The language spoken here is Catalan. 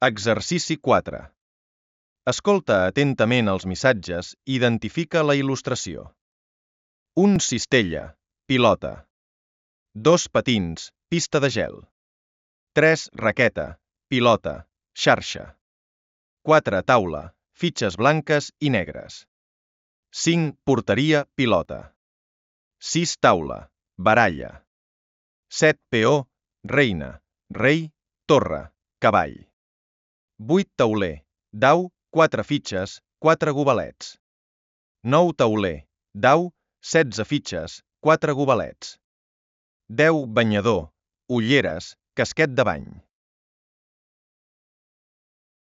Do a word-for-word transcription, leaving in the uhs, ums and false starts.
Exercici quatre. Escolta atentament els missatges i identifica la il·lustració. Un cistella, pilota. Dos patins, pista de gel. Tres raqueta, pilota, xarxa. Quatre taula, fitxes blanques i negres. Cinc porteria, pilota. Sis taula, baralla. Set peó, reina, rei, torre, cavall. Vuit tauler, dau, quatre fitxes, quatre gobalets. Nou tauler, dau, setze fitxes, quatre gobalets. Deu banyador, ulleres, casquet de bany.